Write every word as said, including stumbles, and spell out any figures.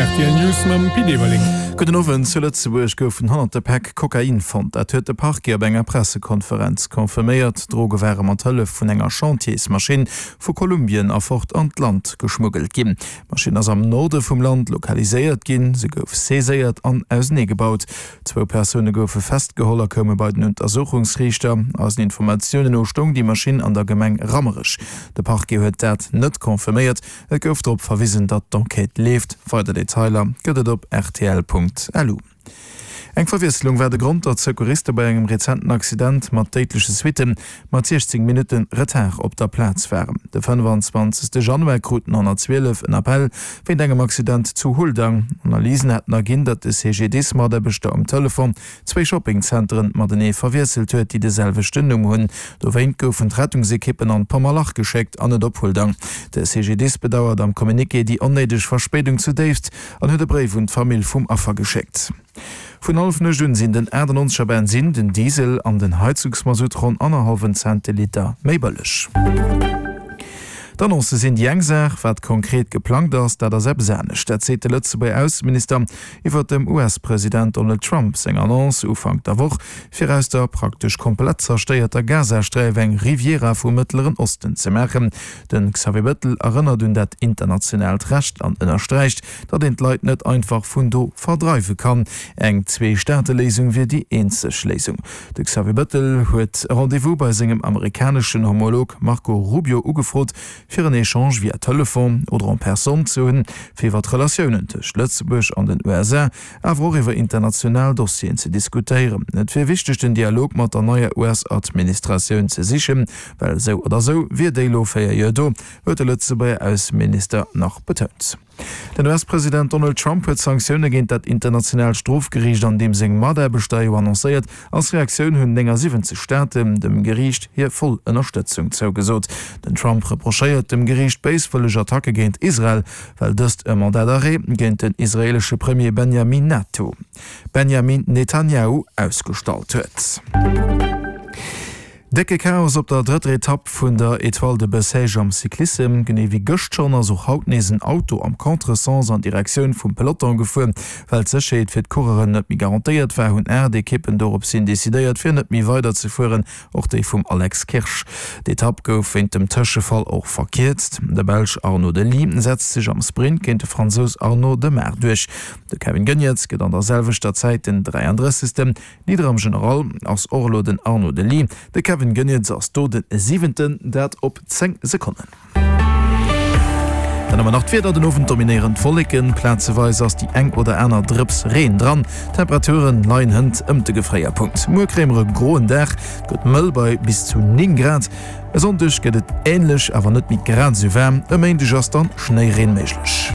R T L News mam Pit Everling. Gudden Owend, Zu Lëtzebuerg goufen honnerte Päck Kokain fonnt. Dat huet de Parquet op enger Pressekonferenz confirméiert. D'Droge ware mat Hëllef vun enger Chantiersmaschinn vu Kolumbien erfort an d'Land geschmuggelt ginn. D'Maschinn ass am Norde vum Land lokaliséiert ginn. Se gouf saiséiert an auseneegebaut. Zwou Persoune goufe festgeholl a koume bei den Untersuchungsriichter. Eisen Informatiounen no stoung déi Maschinn an der Gemeng Rammerech. De Parquet huet dat net confirméiert. Et gouf drop verwisen, datt d'Enquête leeft. Weider Detailer gëtt et op rtl Punkt lu. Eng Verwiesslung war de Grond, datt d'Secouriste bei engem rezenten Accident mat déidleche Suitte mat siechzéng Minutte Retard op der Plaz waren. De fënnefanzwanzegste Januar krut den honnertzwielef en Appell wéint engem Accident zu Huldang. Analysen hätten erginn, datt de C G D I S-Mataarbechter um Telefon zwéi Shoppingzenteren matenee verwiesselt huet, déi de selwechten Numm hunn. Dowéint goufen d'Rettungsekippen an d'Pommerlach geschéckt an net op Huldang. De C G D I S bedauert am Communiqué déi onnéideg Verspéidung zudéifst an huet e Bréif un d'Famill vum Affer geschéckt. Vun hallef nuecht un sinn den achtannonzeger Bensinn, den Diesel an den Heizungsmasutt ronn annerhallwen Cent de Liter méi bëlleg. D'Annoncë sinn déi eng Saach, wat konkret geplangt ass, dat ass eppes anescht. Dat seet de Lëtzebuerger Ausseminister iwwer dem U S-President Donald Trump seng Annonce Ufank der Woch, fir aus der praktesch komplett zerstéierter Gazasträif eng Riviera vum Mëttleren Osten ze maachen. De Xavier Bettel erënnert un dat internationaalt Recht an ënnersträicht, datt een d'Leit net einfach vun do verdreiwe kann. Eng Zwee-Staate-Léisung wier déi eenzeg Léisung. De Xavier Bettel huet e Rendez-vous bei sengem amerikaneschen Homolog Marco Rubio ugefrot, fir en Echange via Telefon oder en personne ze hunn, fir iwwer d'Relatiounen tëscht Lëtzebuerg an den U S A, awer och iwwer international Dossieren ze diskutéieren. Et wier wichteg, den Dialog mat der neier U S-Administratioun ze sichen, well esou oder esou wier déi lo véier Joer do, huet de Lëtzebuerger Ausseminister nach betount. Den U S-President Donald Trump huet Sanktioune géint dat internationaalt Strofgeriicht an deem seng Mataarbechter jo annoncéiert. Als Reaktioun hunn néngasiwwenzeg Staaten dem Geriicht hir voll Ënnerstëtzung zougesot. Den Trump reprochéiert dem Geriicht béiswëlleg Attacke géint Israel, well dëst e Mandat d'arrêt géint den israeelesche Premier Benjamin Nato Benjamin Netanjahu ausgestallt huet. Décke Chaos op der drëtter Etapp vun der Etoile de Bessèges am Cyclissem. Genee wéi gëscht schonn ass och haut nees en Auto am Contresens an Direktioun vum Peloton gefuer. Well d'Sécherheet fir d'Coureuren net méi garantéiert war, hunn aacht Ekippen dorops hin decidéiert, fir net méi weiderzefueren, och déi vum Alex Kirsch. D'Etapp gouf wéint dem Tëschefall och verkierzt. De Belsch Arnaud De Lie setzt sech am Sprint géint de Fransous Arnaud Démare duerch. De Kevin Geniets gëtt an der selwechter Zäit den dräiandrëssegsten. Leader am General ass och elo den Arnaud De Lie. De Kevin Geniets ass do de Siwenten, dat op zéng Sekonnen. Dann hu mer nach d'Wieder, Den Owend dominéieren d'Wolleken, plazeweis ass déi eng oder aner Drëps Reen dran. D'Temperature leien hënt ëm de Gefréierpunkt. Muer kréie mer e groen Dag, et gëtt mëll bei bis zu néng Grad. E Sonndeg gëtt et änlech, awer net méi grad esou waarm. E Méindeg ass dann Schnéireen méiglech.